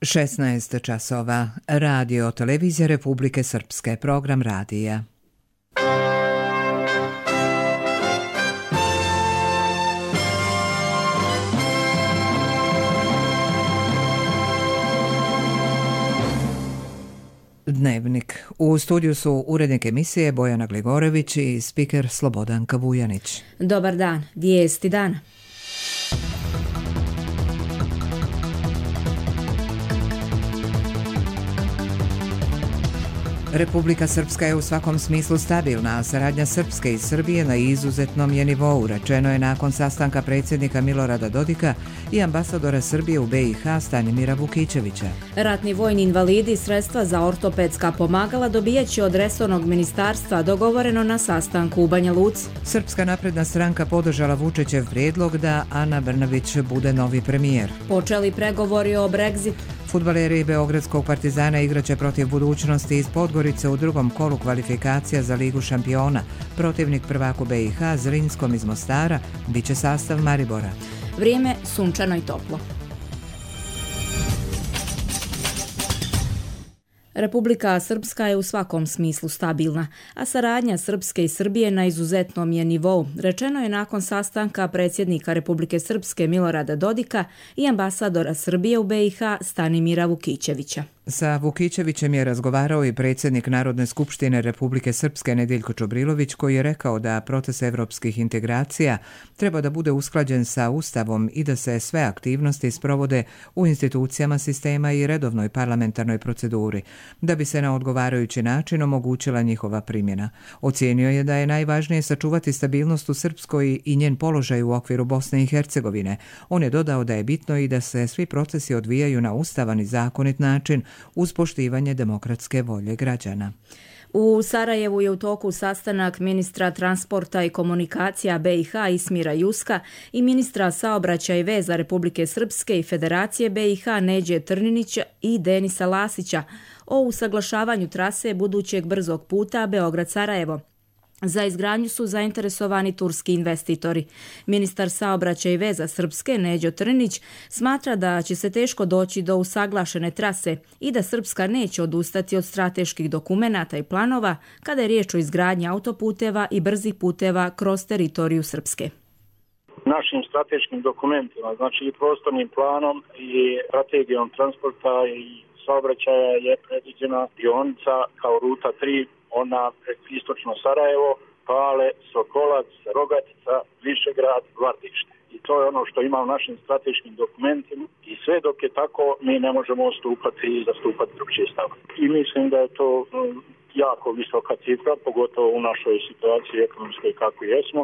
16 časova. Radio Televizija Republike Srpske. Program radija. Dnevnik. U studiju su urednik emisije Bojana Gligorević i spiker Slobodanka Vujanić. Dobar dan. Vijesti dana. Republika Srpska je u svakom smislu stabilna, a saradnja Srpske i Srbije na izuzetnom je nivou, rečeno je nakon sastanka predsjednika Milorada Dodika i ambasadora Srbije u BiH Stanimira Vukićevića. Ratni vojni invalidi sredstva za ortopedska pomagala dobijaće od resornog ministarstva, dogovoreno na sastanku u Banja Luci. Srpska napredna stranka podržala Vučićev prijedlog da Ana Brnabić bude novi premijer. Počeli pregovori o Brexitu. Fudbaleri Beogradskog Partizana igraće protiv Budućnosti iz Podgorice u drugom kolu kvalifikacija za Ligu šampiona. Protivnik prvaku BiH Zrinskom iz Mostara biće sastav Maribora. Vrijeme sunčano i toplo. Republika Srpska je u svakom smislu stabilna, a saradnja Srpske i Srbije na izuzetnom je nivou, rečeno je nakon sastanka predsjednika Republike Srpske Milorada Dodika i ambasadora Srbije u BiH Stanimira Vukićevića. Sa Vukićevićem je razgovarao i predsjednik Narodne skupštine Republike Srpske Nedeljko Čobrilović, koji je rekao da proces evropskih integracija treba da bude usklađen sa Ustavom i da se sve aktivnosti sprovode u institucijama sistema i redovnoj parlamentarnoj proceduri, da bi se na odgovarajući način omogućila njihova primjena. Ocijenio je da je najvažnije sačuvati stabilnost u Srpskoj i njen položaj u okviru Bosne i Hercegovine. On je dodao da je bitno i da se svi procesi odvijaju na ustavan i zakonit način, uz poštivanje demokratske volje građana. U Sarajevu je u toku sastanak ministra transporta i komunikacija BiH Ismira Juska i ministra saobraćaja i veza Republike Srpske i Federacije BiH Neđe Trninića i Denisa Lasića o usaglašavanju trase budućeg brzog puta Beograd-Sarajevo. Za izgradnju su zainteresovani turski investitori. Ministar saobraćaja i veza Srpske Neđo Trnić smatra da će se teško doći do usaglašene trase i da Srpska neće odustati od strateških dokumenata i planova kada je riječ o izgradnji autoputeva i brzih puteva kroz teritoriju Srpske. Našim strateškim dokumentima, znači i prostornim planom i strategijom transporta i saobraćaja je predviđena dionica kao ruta 3, ona istočno Sarajevo, Pale, Sokolac, Rogatica, Višegrad, Vardište. I to je ono što ima u našim strateškim dokumentima i sve dok je tako mi ne možemo ostupati i zastupati drugčije stav. I mislim da je to jako visoka cifra, pogotovo u našoj situaciji ekonomskoj kako jesmo,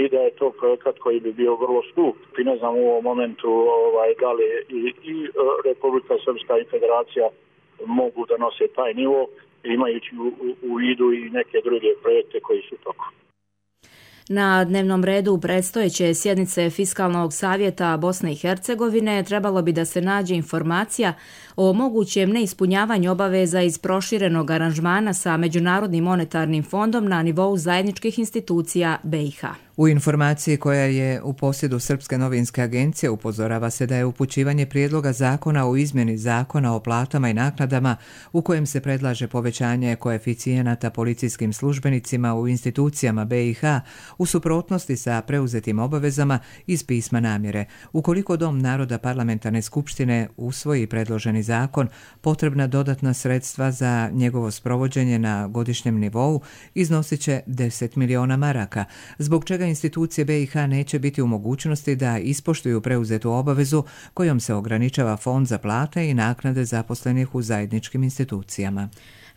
i da je to projekat koji bi bio vrlo skup. I ne znam u ovom momentu da li i Republika Srpska i Federacija mogu da nose taj nivo, imajući u vidu i neke druge projekte koji su toko. Na dnevnom redu predstojeće sjednice Fiskalnog savjeta Bosne i Hercegovine trebalo bi da se nađe informacija o mogućem neispunjavanju obaveza iz proširenog aranžmana sa Međunarodnim monetarnim fondom na nivou zajedničkih institucija BiH. U informaciji koja je u posjedu Srpske novinske agencije upozorava se da je upućivanje prijedloga zakona o izmjeni zakona o platama i naknadama u kojem se predlaže povećanje koeficijenata policijskim službenicima u institucijama BiH u suprotnosti sa preuzetim obavezama iz pisma namjere. Ukoliko Dom naroda parlamentarne skupštine usvoji predloženi zakon, potrebna dodatna sredstva za njegovo sprovođenje na godišnjem nivou iznosit će 10 miliona maraka, zbog čega institucije BiH neće biti u mogućnosti da ispoštuju preuzetu obavezu kojom se ograničava fond za plate i naknade zaposlenih u zajedničkim institucijama.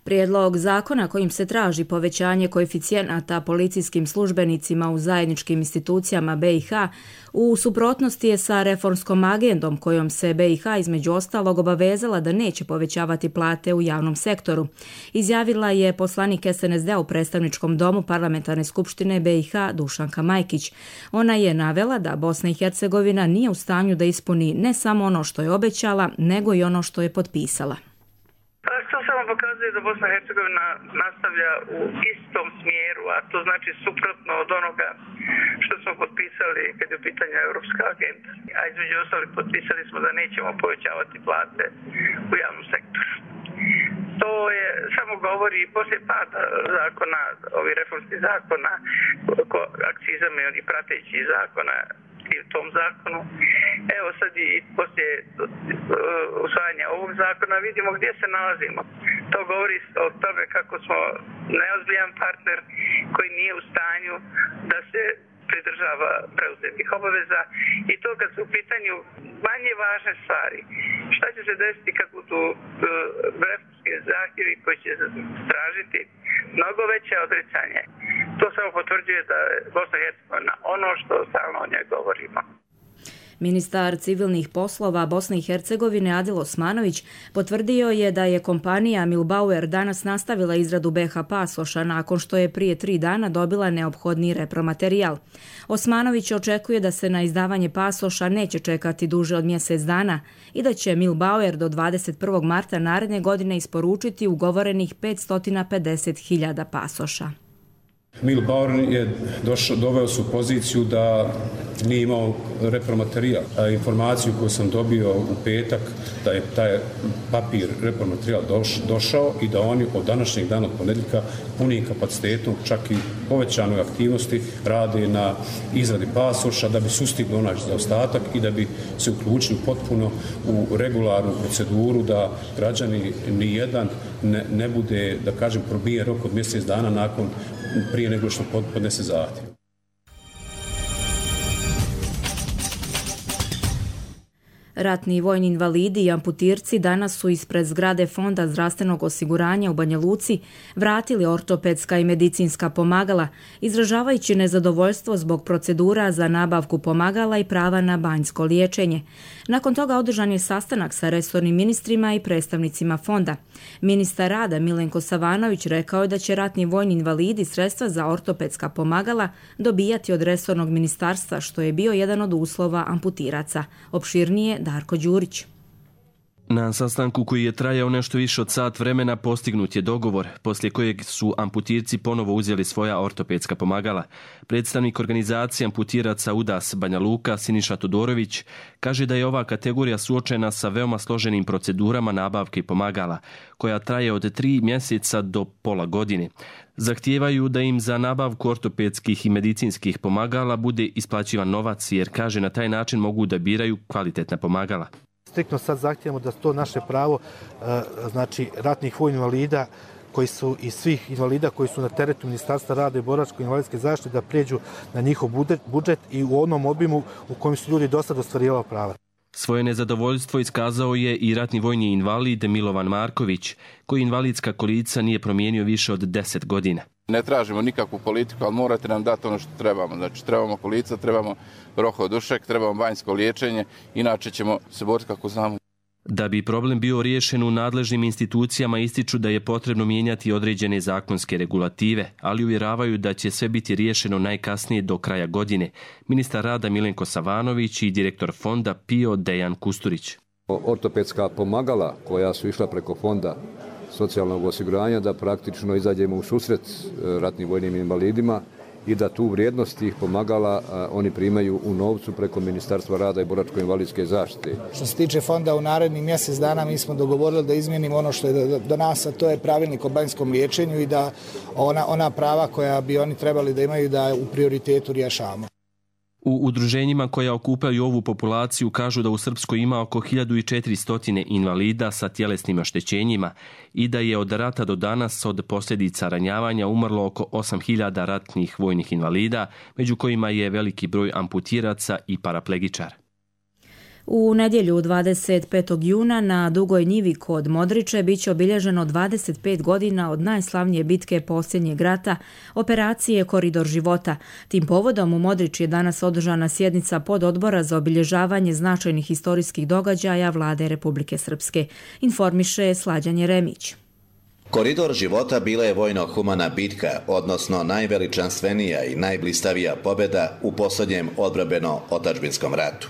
Prijedlog zakona kojim se traži povećanje koeficijenata policijskim službenicima u zajedničkim institucijama BiH u suprotnosti je sa reformskom agendom kojom se BiH između ostalog obavezala da neće povećavati plate u javnom sektoru. Izjavila je poslanik SNSD u predstavničkom domu Parlamentarne skupštine BiH Dušanka Majkić. Ona je navela da Bosna i Hercegovina nije u stanju da ispuni ne samo ono što je obećala, nego i ono što je potpisala. To samo pokazuje da Bosna i Hercegovina nastavlja u istom smjeru, a to znači suprotno od onoga što smo potpisali kad je u pitanju Europska agenda. A između ostalih potpisali smo da nećemo povećavati plate u javnom sektoru. To je samo govori poslije pada zakona, ovih reformskih zakona, akcizama i pratećih zakona i u tom zakonu. Evo sad i poslije usvajanja ovog zakona vidimo gdje se nalazimo. To govori o tome kako smo neozbiljan partner koji nije u stanju da se pridržava preuzetih obaveza i to kad su u pitanju manje važne stvari. Šta će se desiti kad budu reformski zahtjevi koji će tražiti mnogo veće odricanje? To samo potvrđuje da je Bosna i Hercegovina ono što stalno o njoj govorimo. Ministar civilnih poslova Bosne i Hercegovine Adil Osmanović potvrdio je da je kompanija Milbauer danas nastavila izradu BH pasoša nakon što je prije 3 dana dobila neophodni repromaterijal. Osmanović očekuje da se na izdavanje pasoša neće čekati duže od mjesec dana i da će Milbauer do 21. marta naredne godine isporučiti ugovorenih 550.000 pasoša. Milbauer je doveo se u poziciju da nije imao repromaterijal. Informaciju koju sam dobio u petak da je taj papir repromaterijal došao i da oni od današnjeg dana, od ponedjeljka, punim kapacitetom, čak i povećanoj aktivnosti rade na izradi pasoša da bi sustigli onaj zaostatak i da bi se uključili potpuno u regularnu proceduru da građani nijedan ne bude, da kažem, probije rok od mjesec dana prije nego što podnese zahtjev. Ratni vojni invalidi i amputirci danas su ispred zgrade Fonda zdravstvenog osiguranja u Banja Luci vratili ortopedska i medicinska pomagala, izražavajući nezadovoljstvo zbog procedura za nabavku pomagala i prava na banjsko liječenje. Nakon toga održan je sastanak sa resornim ministrima i predstavnicima fonda. Ministar rada Milenko Savanović rekao je da će ratni vojni invalidi sredstva za ortopedska pomagala dobijati od resornog ministarstva, što je bio jedan od uslova amputiraca. Opširnije Darko Đurić. Na sastanku koji je trajao nešto više od sat vremena postignut je dogovor, poslije kojeg su amputirci ponovo uzeli svoja ortopedska pomagala. Predstavnik organizacije amputiraca UDAS Banja Luka Siniša Todorović kaže da je ova kategorija suočena sa veoma složenim procedurama nabavke pomagala, koja traje od 3 mjeseca do pola godine. Zahtijevaju da im za nabavku ortopedskih i medicinskih pomagala bude isplaćivan novac, jer kaže na taj način mogu da biraju kvalitetna pomagala. Striktno sad zahtijevamo da to naše pravo, znači ratnih vojnih invalida koji su i svih invalida koji su na teretu Ministarstva rada i boračko-invalidske zaštite da prijeđu na njihov budžet i u onom obimu u kojem su ljudi do sad ostvarivali prava. Svoje nezadovoljstvo iskazao je i ratni vojni invalid Milovan Marković, koji invalidska kolica nije promijenio više od 10 godina. Ne tražimo nikakvu politiku, ali morate nam dati ono što trebamo. Znači, trebamo kolica, trebamo rohodušek, trebamo banjsko liječenje, inače ćemo se boriti kako znamo. Da bi problem bio riješen, u nadležnim institucijama ističu da je potrebno mijenjati određene zakonske regulative, ali uvjeravaju da će sve biti riješeno najkasnije do kraja godine. Ministar rada Milenko Savanović i direktor fonda PIO Dejan Kusturić. Ortopedska pomagala koja su išla preko fonda socijalnog osiguranja da praktično izađemo u susret ratnim vojnim invalidima i da tu vrijednost tih pomagala oni primaju u novcu preko Ministarstva rada i boračko-invalidske zaštite. Što se tiče fonda, u narednih mjesec dana mi smo dogovorili da izmijenimo ono što je do nas, a to je pravilnik o banjskom liječenju i da ona prava koja bi oni trebali da imaju da u prioritetu rješavamo. U udruženjima koja okupaju ovu populaciju kažu da u Srpskoj ima oko 1400 invalida sa tjelesnim oštećenjima i da je od rata do danas od posljedica ranjavanja umrlo oko 8000 ratnih vojnih invalida, među kojima je veliki broj amputiraca i paraplegičara. U nedjelju 25. juna na Dugoj njivi kod Modriče biće obilježeno 25 godina od najslavnije bitke posljednjeg rata, operacije Koridor života. Tim povodom u Modriči je danas održana sjednica pododbora za obilježavanje značajnih historijskih događaja Vlade Republike Srpske, informiše Slađan Jeremić. Koridor života bila je vojno-humana bitka, odnosno najveličanstvenija i najblistavija pobjeda u posljednjem odbrambenom otadžbinskom ratu.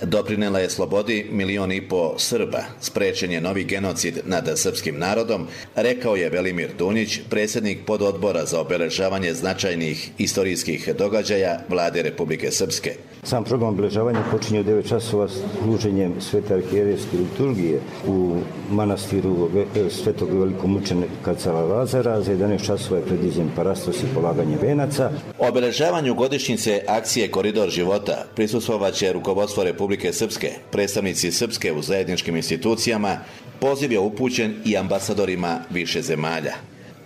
Doprinela je slobodi 1,5 miliona Srba, sprečen je novi genocid nad srpskim narodom, rekao je Velimir Dunić, predsjednik pododbora za obeležavanje značajnih istorijskih događaja Vlade Republike Srpske. Sam program obeležavanja počinje u 9 časova služenjem svete arhijerejske liturgije u manastiru svetog velikomučenika Cara Lazara. Za 11 časova je predviđen parastos i polaganje venaca. Obeležavanju godišnjice akcije Koridor života prisustvovaće rukovodstvo Republike Srpske, predstavnici Srpske u zajedničkim institucijama, poziv je upućen i ambasadorima više zemalja.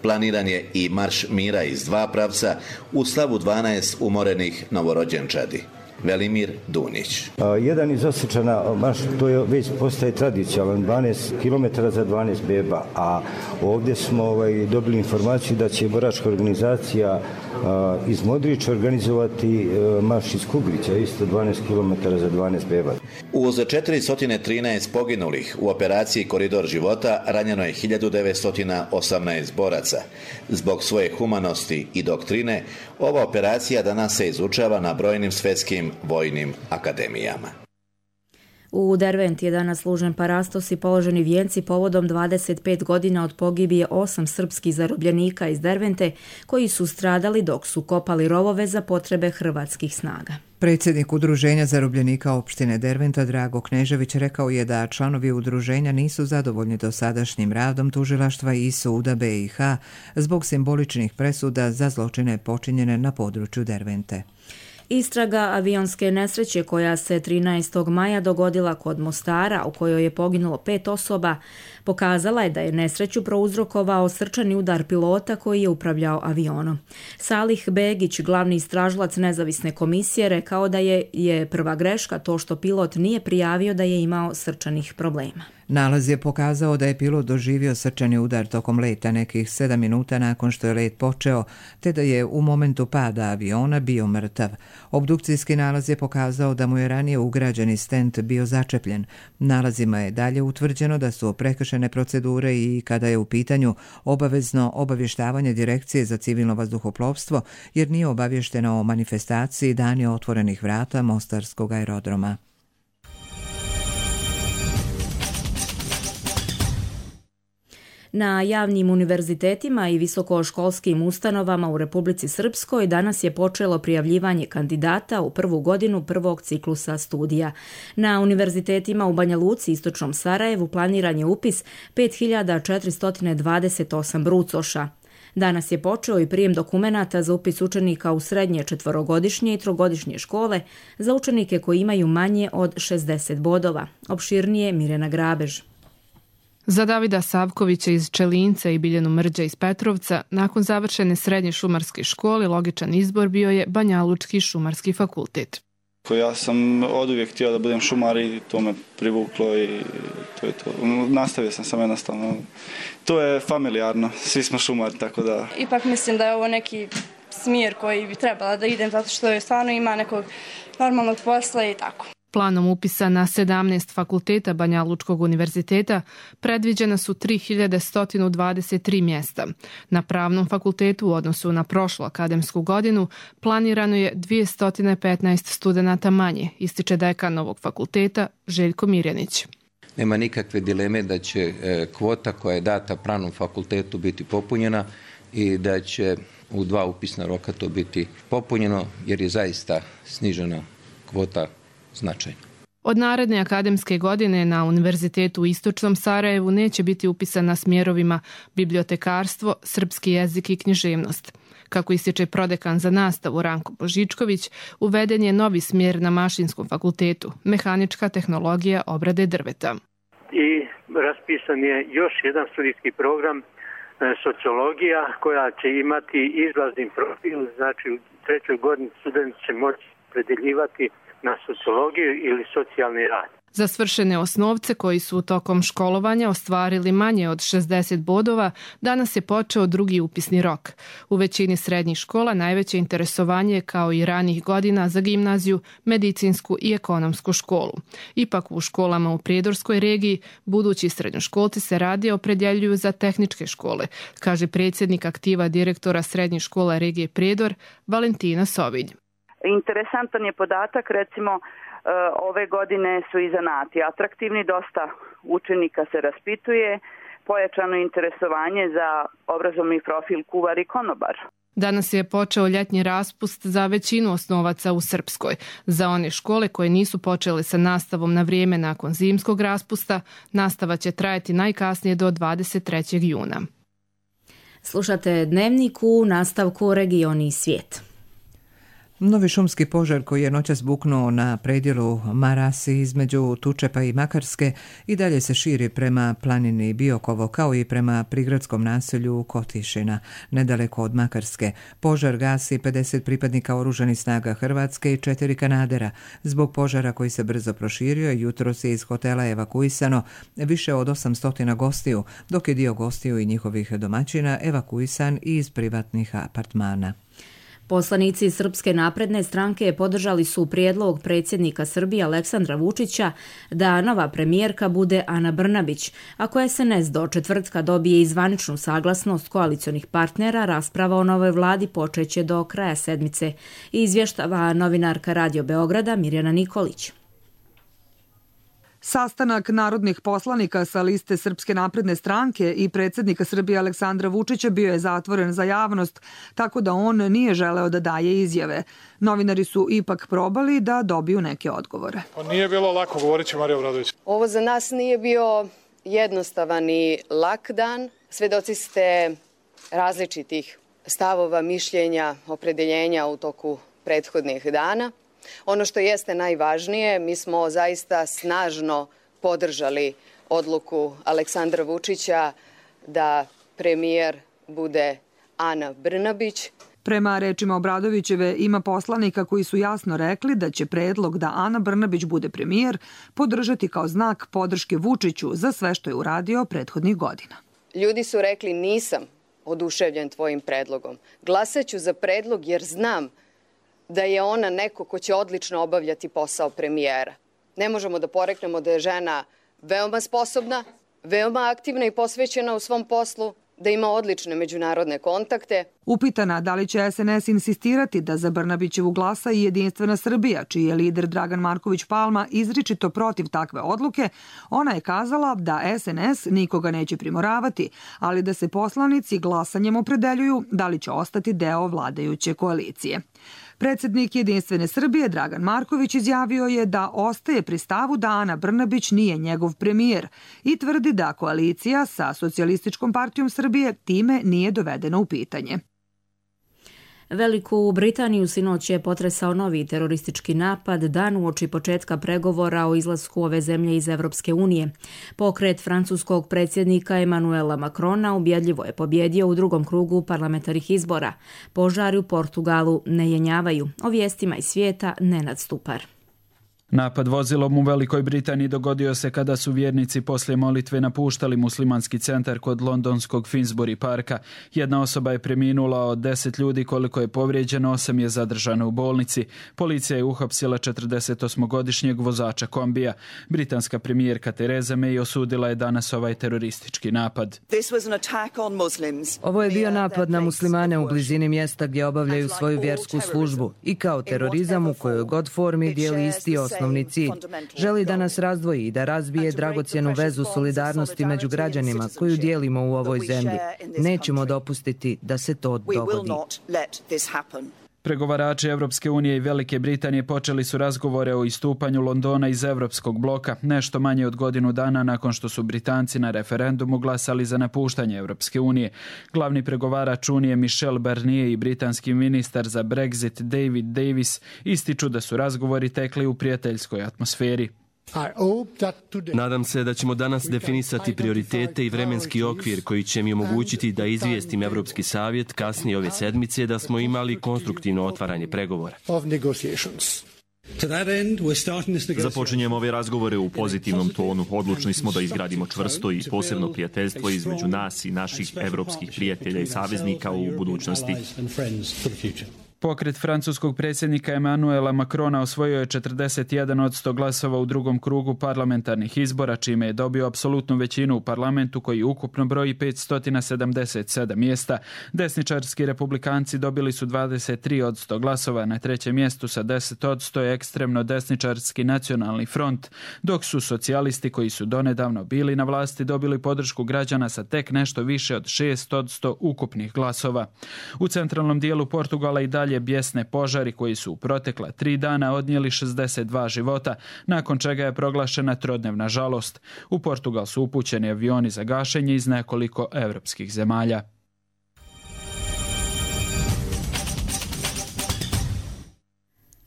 Planiran je i marš mira iz 2 pravca u slavu 12 umorenih novorođenčadi. Velimir Dunić. Jedan iz Osječana marš, to je već postaje tradicionalan, 12 km za 12 beba, a ovdje smo dobili informaciju da će boračka organizacija iz Modrića organizovati marš iz Kugrića, isto 12 km za 12 beba. Uz 413 poginulih u operaciji Koridor života ranjeno je 1918 boraca. Zbog svoje humanosti i doktrine, ova operacija danas se izučava na brojnim svjetskim vojnim akademijama. U Derventi je danas služen parastos i položeni vijenci povodom 25 godina od pogibije 8 srpskih zarobljenika iz Dervente koji su stradali dok su kopali rovove za potrebe hrvatskih snaga. Predsjednik Udruženja zarobljenika opštine Derventa Drago Knežević rekao je da članovi udruženja nisu zadovoljni dosadašnjim radom tužilaštva i suda BiH zbog simboličnih presuda za zločine počinjene na području Dervente. Istraga avionske nesreće koja se 13. maja dogodila kod Mostara, u kojoj je poginulo 5 osoba, pokazala je da je nesreću prouzrokovao srčani udar pilota koji je upravljao avionom. Salih Begić, glavni istražilac nezavisne komisije, rekao da je prva greška to što pilot nije prijavio da je imao srčanih problema. Nalaz je pokazao da je pilot doživio srčani udar tokom leta nekih 7 minuta nakon što je let počeo, te da je u momentu pada aviona bio mrtav. Obdukcijski nalaz je pokazao da mu je ranije ugrađeni stent bio začepljen. Nalazima je dalje utvrđeno da su prekršene procedure i kada je u pitanju obavezno obavještavanje Direkcije za civilno vazduhoplovstvo, jer nije obavješteno o manifestaciji Dani otvorenih vrata Mostarskog aerodroma. Na javnim univerzitetima i visokoškolskim ustanovama u Republici Srpskoj danas je počelo prijavljivanje kandidata u prvu godinu prvog ciklusa studija. Na univerzitetima u Banja Luci i Istočnom Sarajevu planiran je upis 5428 brucoša. Danas je počeo i prijem dokumenata za upis učenika u srednje 4-godišnje i 3-godišnje škole za učenike koji imaju manje od 60 bodova. Opširnije Mirjana Grabež. Za Davida Savkovića iz Čelinca i Biljanu Mrđa iz Petrovca, nakon završene srednje šumarske škole, logičan izbor bio je Banjalučki šumarski fakultet. Ja sam oduvijek htio da budem šumar i to me privuklo i to je to. Nastavio sam sam jednostavno. To je familijarno, svi smo šumari, tako da... Ipak mislim da je ovo neki smjer koji bi trebala da idem, zato što je stvarno ima nekog normalnog posla i tako. Planom upisa na 17 fakulteta Banjalučkog univerziteta predviđena su 3123 mjesta. Na Pravnom fakultetu u odnosu na prošlu akademsku godinu planirano je 215 studenata manje, ističe dekan novog fakulteta Željko Mirjanić. Nema nikakve dileme da će kvota koja je data Pravnom fakultetu biti popunjena i da će u 2 upisna roka to biti popunjeno jer je zaista snižena kvota značajno. Od naredne akademske godine na Univerzitetu u Istočnom Sarajevu neće biti upisan na smjerovima bibliotekarstvo, srpski jezik i književnost. Kako ističe prodekan za nastavu Ranko Božičković, uveden je novi smjer na Mašinskom fakultetu, mehanička tehnologija obrade drveta. I raspisan je još jedan studijski program sociologija koja će imati izlazni profil, znači u 3. godini studenti će moći predeljivati na sociologiju ili socijalni rad. Za svršene osnovce koji su tokom školovanja ostvarili manje od 60 bodova, danas je počeo drugi upisni rok. U većini srednjih škola najveće interesovanje je kao i ranih godina za gimnaziju, medicinsku i ekonomsku školu. Ipak u školama u Prijedorskoj regiji budući srednjoškolci se radije opredjeljuju za tehničke škole, kaže predsjednik aktiva direktora srednje škole regije Prijedor Valentina Sovilj. Interesantan je podatak, recimo ove godine su i zanati atraktivni, dosta učenika se raspituje, pojačano interesovanje za obrazovni profil kuvar i konobar. Danas je počeo ljetnji raspust za većinu osnovaca u Srpskoj. Za one škole koje nisu počele sa nastavom na vrijeme nakon zimskog raspusta, nastava će trajati najkasnije do 23. juna. Slušate Dnevnik, u nastavku Regioni i svijet. Novi šumski požar koji je noćas buknuo na predjelu Marasi između Tučepa i Makarske i dalje se širi prema planini Biokovo kao i prema prigradskom naselju Kotišina, nedaleko od Makarske. Požar gasi 50 pripadnika oružanih snaga Hrvatske i 4 Kanadera. Zbog požara koji se brzo proširio, jutros je iz hotela evakuisano više od 800 gostiju, dok je dio gostiju i njihovih domaćina evakuisan iz privatnih apartmana. Poslanici Srpske napredne stranke podržali su prijedlog predsjednika Srbije Aleksandra Vučića da nova premijerka bude Ana Brnabić. Ako SNS do četvrtka dobije i zvaničnu saglasnost koalicionih partnera, rasprava o novoj vladi počeće do kraja sedmice, izvještava novinarka Radio Beograda Mirjana Nikolić. Sastanak narodnih poslanika sa liste Srpske napredne stranke i predsjednika Srbije Aleksandra Vučića bio je zatvoren za javnost, tako da on nije želeo da daje izjave. Novinari su ipak probali da dobiju neke odgovore. Nije bilo lako, govorit će Marija Obradović. Ovo za nas nije bio jednostavan i lak dan. Svedoci ste različitih stavova, mišljenja, opredeljenja u toku prethodnih dana. Ono što jeste najvažnije, mi smo zaista snažno podržali odluku Aleksandra Vučića da premijer bude Ana Brnabić. Prema rečima Obradovićeve, ima poslanika koji su jasno rekli da će predlog da Ana Brnabić bude premijer podržati kao znak podrške Vučiću za sve što je uradio prethodnih godina. Ljudi su rekli nisam oduševljen tvojim predlogom. Glasaću za predlog jer znam da je ona neko ko će odlično obavljati posao premijera. Ne možemo da poreknemo da je žena veoma sposobna, veoma aktivna i posvećena u svom poslu, da ima odlične međunarodne kontakte. Upitana da li će SNS insistirati da za Brnabićevu glasa i Jedinstvena Srbija, čiji je lider Dragan Marković Palma izričito protiv takve odluke, ona je kazala da SNS nikoga neće primoravati, ali da se poslanici glasanjem opredeljuju da li će ostati deo vladajuće koalicije. Predsjednik Jedinstvene Srbije Dragan Marković izjavio je da ostaje pri stavu da Ana Brnabić nije njegov premijer i tvrdi da koalicija sa Socijalističkom partijom Srbije time nije dovedena u pitanje. Veliku Britaniju sinoć je potresao novi teroristički napad dan uoči početka pregovora o izlasku ove zemlje iz Evropske unije. Pokret francuskog predsjednika Emanuela Macrona ubjedljivo je pobjedio u drugom krugu parlamentarnih izbora. Požari u Portugalu ne jenjavaju. O vijestima iz svijeta Nenad Stupar. Napad vozilom u Velikoj Britaniji dogodio se kada su vjernici poslije molitve napuštali muslimanski centar kod londonskog Finsbury parka. Jedna osoba je preminula, od 10 ljudi koliko je povrijeđeno, 8 je zadržano u bolnici. Policija je uhapsila 48-godišnjeg vozača kombija. Britanska premijerka Theresa May osudila je danas ovaj teroristički napad. Ovo je bio napad na muslimane u blizini mjesta gdje obavljaju svoju vjersku službu i kao terorizam u kojoj god formi dijeli isti osnovni cilj. Želi da nas razdvoji i da razbije dragocjenu vezu solidarnosti među građanima koju dijelimo u ovoj zemlji. Nećemo dopustiti da se to dogodi. Pregovarači Evropske unije i Velike Britanije počeli su razgovore o istupanju Londona iz Evropskog bloka nešto manje od godinu dana nakon što su Britanci na referendumu glasali za napuštanje Evropske unije. Glavni pregovarač Unije Michel Barnier i britanski ministar za Brexit David Davis ističu da su razgovori tekli u prijateljskoj atmosferi. Nadam se da ćemo danas definisati prioritete i vremenski okvir koji će mi omogućiti da izvijestim Evropski savjet kasnije ove sedmice da smo imali konstruktivno otvaranje pregovora. Započinjemo ove razgovore u pozitivnom tonu. Odlučni smo da izgradimo čvrsto i posebno prijateljstvo između nas i naših evropskih prijatelja i saveznika u budućnosti. Pokret francuskog predsjednika Emmanuela Macrona osvojio je 41% glasova u drugom krugu parlamentarnih izbora, čime je dobio apsolutnu većinu u parlamentu koji ukupno broji 577 mjesta. Desničarski republikanci dobili su 23% glasova, na trećem mjestu sa 10% je ekstremno desničarski nacionalni front, dok su socijalisti koji su donedavno bili na vlasti dobili podršku građana sa tek nešto više od 6% ukupnih glasova. U centralnom dijelu Portugala i dalje bijesne požari koji su u protekla 3 dana odnijeli 62 života, nakon čega je proglašena trodnevna žalost. U Portugal su upućeni avioni za gašenje iz nekoliko evropskih zemalja.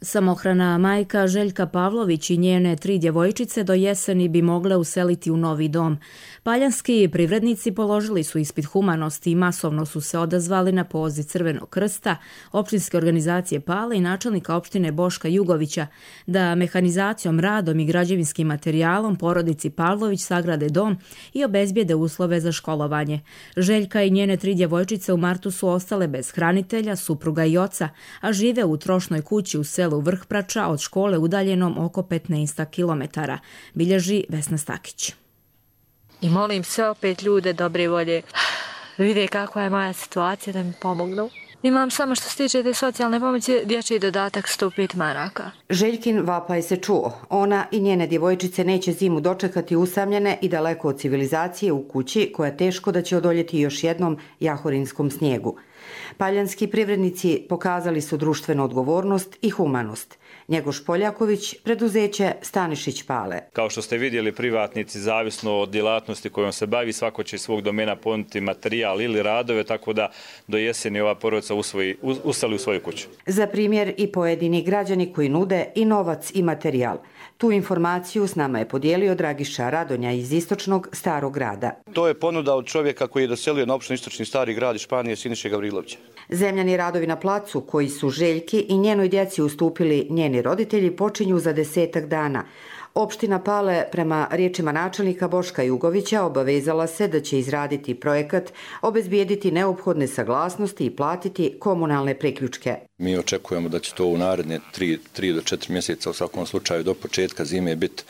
Samohrana majka Željka Pavlović i njene 3 djevojčice do jeseni bi mogle useliti u novi dom. Paljanski privrednici položili su ispit humanosti i masovno su se odazvali na poziv Crvenog krsta, općinske organizacije Pale i načelnika opštine Boška Jugovića da mehanizacijom, radom i građevinskim materijalom porodici Pavlović sagrade dom i obezbijede uslove za školovanje. Željka i njene 3 djevojčice u martu su ostale bez hranitelja, supruga i oca, a žive u trošnoj kući u selu Vrhprača od škole udaljenom oko 15 kilometara, bilježi Vesna Stakić. I molim sve opet ljude dobre volje, vide kakva je moja situacija, da mi pomognu. Imam samo što se tiče te socijalne pomoći dječji dodatak 105 maraka. Željkin vapaj se čuo. Ona i njene djevojčice neće zimu dočekati usamljene i daleko od civilizacije u kući koja teško da će odoljeti još jednom jahorinskom snijegu. Paljanski privrednici pokazali su društvenu odgovornost i humanost. Njegoš Poljaković, preduzeće Stanišić Pale. Kao što ste vidjeli, privatnici, zavisno od djelatnosti kojom se bavi, svako će iz svog domena ponuditi materijal ili radove, tako da do jeseni ova porodica useli u svoju kuću. Za primjer i pojedini građani koji nude i novac i materijal. Tu informaciju s nama je podijelio Dragiša Radonja iz istočnog Starog grada. To je ponuda od čovjeka koji je doselio na opštinu Istočni Stari grad iz Španije, Siniše Gavrilovića. Zemljani radovi na placu koji su Željki i njenoj djeci ustupili njeni roditelji počinju za 10 dana. Opština Pale, prema riječima načelnika Boška Jugovića, obavezala se da će izraditi projekat, obezbijediti neophodne saglasnosti i platiti komunalne priključke. Mi očekujemo da će to u naredne 3 do 4 mjeseca u svakom slučaju do početka zime biti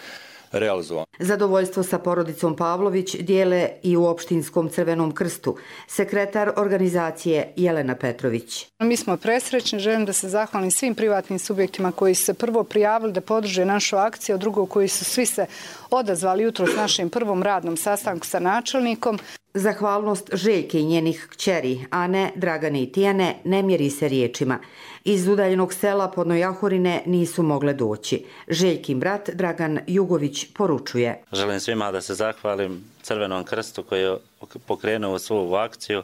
realizovano. Zadovoljstvo sa porodicom Pavlović dijele i u opštinskom Crvenom krstu. Sekretar organizacije Jelena Petrović. Mi smo presrećni, želim da se zahvalim svim privatnim subjektima koji su se prvo prijavili da podrže našu akciju, a drugo koji su svi se odazvali jutro s našim prvom radnom sastanku sa načelnikom. Zahvalnost Željke i njenih kćeri, Ane, Dragane i Tijane, ne mjeri se riječima. Iz udaljenog sela Podnojahorine nisu mogle doći. Željkin brat Dragan Jugović poručuje. Želim svima da se zahvalim Crvenom krstu koji je pokrenuo svu akciju.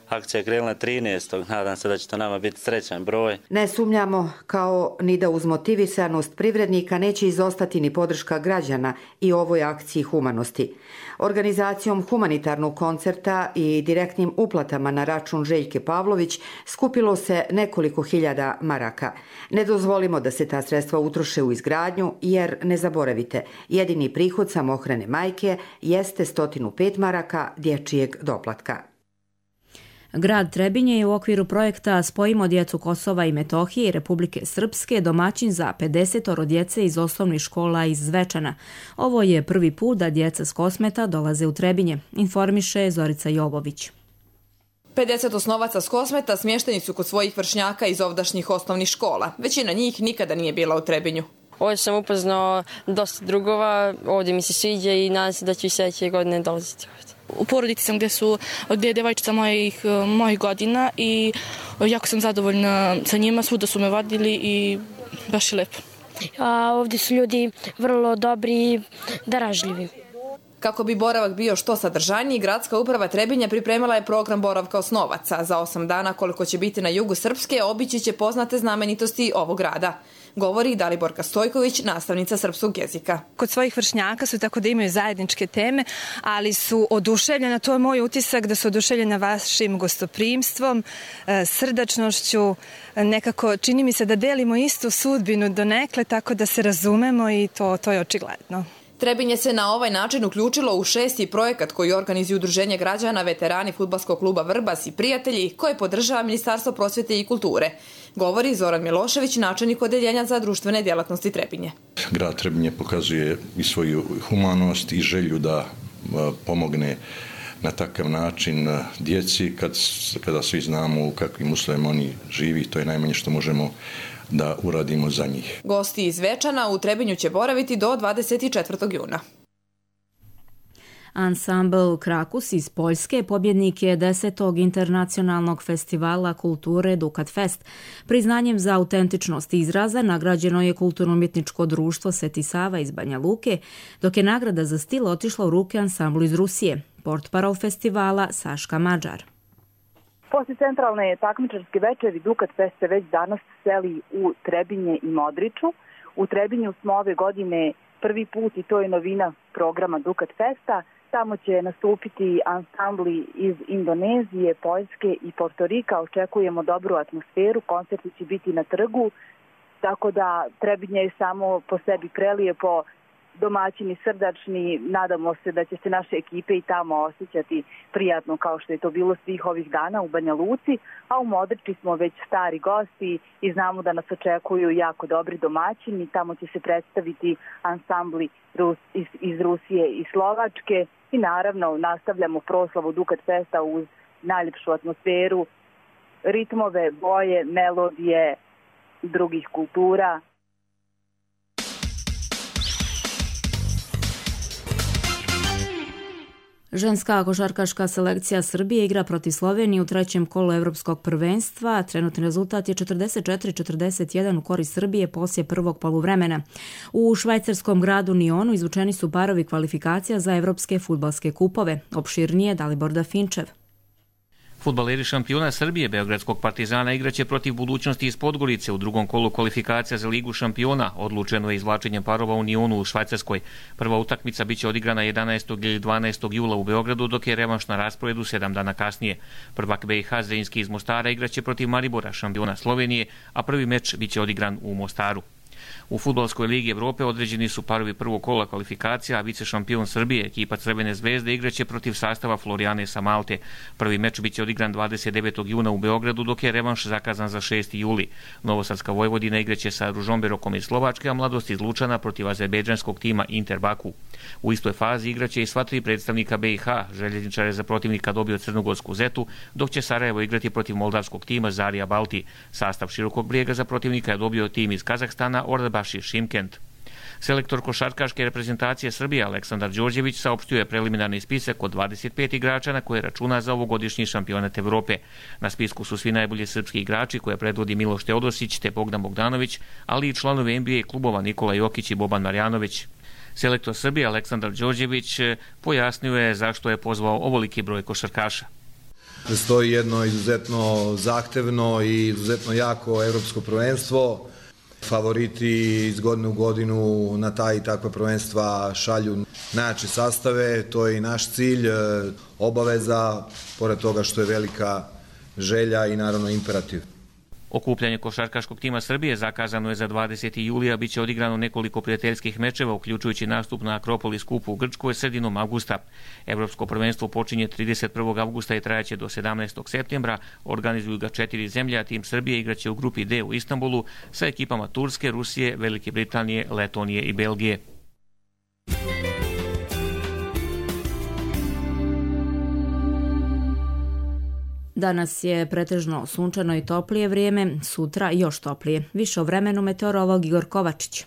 Akcija je krenula 13. Nadam se da će to nama biti srećan broj. Ne sumnjamo kao ni da uz motivisanost privrednika neće izostati ni podrška građana i ovoj akciji humanosti. Organizacijom humanitarnog koncerta i direktnim uplatama na račun Željke Pavlović skupilo se nekoliko hiljada maraka. Ne dozvolimo da se ta sredstva utroše u izgradnju jer, ne zaboravite, jedini prihod samohrane majke jeste 105 maraka dječjeg doplatka. Grad Trebinje je u okviru projekta Spojimo djecu Kosova i Metohije i Republike Srpske domaćin za 50 djece iz osnovnih škola iz Zvečana. Ovo je prvi put da djeca s Kosmeta dolaze u Trebinje, informiše Zorica Jovović. 50 osnovaca s Kosmeta smješteni su kod svojih vršnjaka iz ovdašnjih osnovnih škola. Većina njih nikada nije bila u Trebinju. Ovdje sam upoznao dosta drugova, ovdje mi se sviđa i nadam se da ću i sljedeće godine dolaziti ovdje. U porodici sam gdje je djevojčica mojih godina i jako sam zadovoljna sa njima, svuda su me vadili i baš je lepo. Ovdje su ljudi vrlo dobri i daražljivi. Kako bi boravak bio što sadržajniji, gradska uprava Trebinja pripremila je program boravka osnovaca. Za 8 dana koliko će biti na jugu Srpske, obići će poznate znamenitosti ovog grada. Govori Daliborka Stojković, nastavnica srpskog jezika. Kod svojih vršnjaka su tako da imaju zajedničke teme, ali su oduševljena, to je moj utisak, da su oduševljena vašim gostoprimstvom, srdačnošću, nekako čini mi se da delimo istu sudbinu donekle, tako da se razumemo i to je očigledno. Trebinje se na ovaj način uključilo u 6. projekat koji organizuje Udruženje građana veterani fudbalskog kluba Vrbas i prijatelji koje podržava Ministarstvo prosvjete i kulture. Govori Zoran Milošević, načelnik odeljenja za društvene djelatnosti Trebinje. Grad Trebinje pokazuje i svoju humanost i želju da pomogne na takav način djeci kada svi znamo u kakvim uslovima oni živi, to je najmanje što možemo da uradimo za njih. Gosti iz Zvečana u Trebinju će boraviti do 24. juna. Ansambl Krakus iz Poljske pobjednik je 10. internacionalnog festivala kulture Dukat Fest. Priznanjem za autentičnost izraza nagrađeno je kulturno-umjetničko društvo Sveti Sava iz Banja Luke, dok je nagrada za stil otišla u ruke ansamblu iz Rusije. Portparol festivala Saška Mađar. Poslije centralne takmičarske večeri Dukat Fest se već danas seli u Trebinje i Modriču. U Trebinju smo ove godine prvi put i to je novina programa Dukat Festa. Tamo će nastupiti ansambli iz Indonezije, Poljske i Portorika. Očekujemo dobru atmosferu, koncerti će biti na trgu, tako da Trebinje je samo po sebi prelijepo, domaćini, srdačni. Nadamo se da će se naše ekipe i tamo osjećati prijatno kao što je to bilo svih ovih dana u Banja Luci, a u Modriči smo već stari gosti i znamo da nas očekuju jako dobri domaćini. Tamo će se predstaviti ansambli iz Rusije i Slovačke i naravno nastavljamo proslavu Dukat Festa uz najljepšu atmosferu, ritmove, boje, melodije drugih kultura. Ženska košarkaška selekcija Srbije igra protiv Slovenije u trećem kolu Evropskog prvenstva. Trenutni rezultat je 44-41 u korist Srbije poslije prvog poluvremena. U švajcarskom gradu Nionu izvučeni su parovi kvalifikacija za evropske fudbalske kupove. Opširnije Dalibor Dafinčev. Fudbaleri šampiona Srbije Beogradskog Partizana igraće protiv Budućnosti iz Podgorice u drugom kolu kvalifikacija za Ligu šampiona. Odlučeno je izvlačenjem parova u Nionu u Švajcarskoj. Prva utakmica biće odigrana 11. ili 12. jula u Beogradu, dok je revanš na rasporedu 7 dana kasnije. Prvak BiH Zrinski iz Mostara igraće protiv Maribora, šampiona Slovenije, a prvi meč biće odigran u Mostaru. U Fudbalskoj ligi Evrope određeni su parovi prvog kola kvalifikacija, a vice šampion Srbije, ekipa Crvene zvezde, igraće protiv sastava Florijane sa Malte. Prvi meč biće odigran 29. juna u Beogradu, dok je revanš zakazan za 6. juli. Novosadska Vojvodina igraće sa Ružomberokom iz Slovačke, a Mladost iz Lučana protiv azerbejdžanskog tima Inter Baku. U istoj fazi igraće i sva tri predstavnika BiH, Željezničar je za protivnika dobio Crnogorsku Zetu, dok će Sarajevo igrati protiv moldavskog tima Zarija Balti. Sastav Širokog Brijega za protivnika je dobio tim iz Kazahstana Ordabaši Šimkent. Selektor košarkaške reprezentacije Srbije Aleksandar Đorđević saopštio je preliminarni spisak od 25 igrača na koje računa za ovogodišnji šampionat Evrope. Na spisku su svi najbolji srpski igrači koje predvodi Miloš Teodosić te Bogdan Bogdanović, ali i članovi NBA klubova Nikola Jokić i Boban Marjanović. Selektor Srbije Aleksandar Đorđević pojasnio je zašto je pozvao ovoliki broj košarkaša. Stoji jedno izuzetno zahtevno i izuzetno jako evropsko prvenstvo. Favoriti iz godine u godinu na ta i takva prvenstva šalju najjače sastave, to je i naš cilj, obaveza, pored toga što je velika želja i naravno imperativ. Okupljanje košarkaškog tima Srbije zakazano je za 20. julija, bit će odigrano nekoliko prijateljskih mečeva, uključujući nastup na Akropolis kupu u Grčkoj sredinom avgusta. Evropsko prvenstvo počinje 31. avgusta i trajaće do 17. septembra. Organizuju ga 4 zemlje, a tim Srbije igraće u grupi D u Istanbulu sa ekipama Turske, Rusije, Velike Britanije, Letonije i Belgije. Danas je pretežno sunčano i toplije vrijeme, sutra još toplije. Više o vremenu meteorolog Igor Kovačić.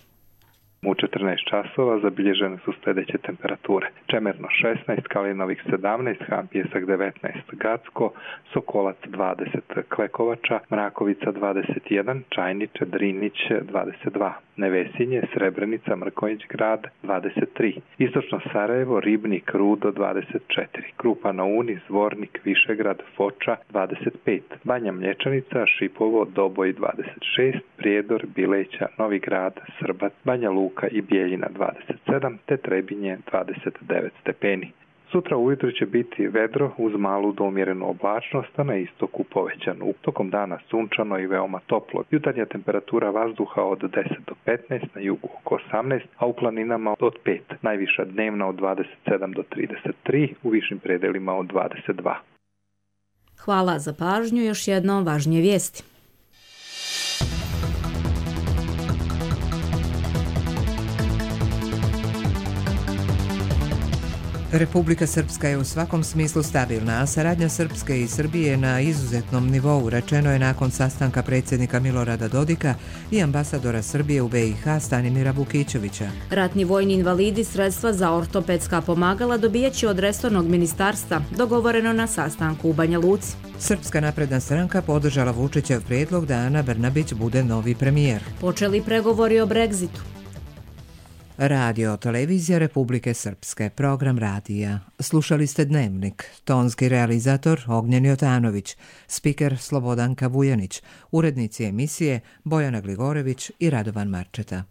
U 14 časova zabilježene su sljedeće temperature. Čemerno 16, Kalinovik 17, Hampjesak 19, Gacko, Sokolac 20, Klekovača, Mrakovica 21, Čajniče, Drinić 22, Nevesinje, Srebrenica, Mrkonjić grad 23, Istočno Sarajevo, Ribnik, Rudo 24, Krupa na Uni, Zvornik, Višegrad, Foča 25, Banja Mlječanica, Šipovo, Doboj 26, Prijedor, Bileća, Novi Grad, Srbac, Banja Luka i Bijeljina 27, te Trebinje 29 stepeni. Sutra ujutro će biti vedro uz malu do umjerenu oblačnost, a na istoku povećanu. Tokom dana sunčano i veoma toplo. Jutarnja temperatura vazduha od 10 do 15, na jugu oko 18, a u planinama od 5. Najviša dnevna od 27 do 33, u višim predelima od 22. Hvala za pažnju, još jednom važnije vijesti. Republika Srpska je u svakom smislu stabilna, a saradnja Srpske i Srbije na izuzetnom nivou, rečeno je nakon sastanka predsjednika Milorada Dodika i ambasadora Srbije u BiH Stanimira Vukićevića. Ratni vojni invalidi sredstva za ortopedska pomagala dobijaće od resornog ministarstva, dogovoreno na sastanku u Banja Luci. Srpska napredna stranka podržala Vučićev prijedlog da Ana Brnabić bude novi premijer. Počeli pregovori o Brexitu. Radio televizija Republike Srpske, program radija. Slušali ste Dnevnik, tonski realizator Ognjen Jotanović, spiker Slobodanka Vujanić, urednici emisije Bojana Gligorević i Radovan Marčeta.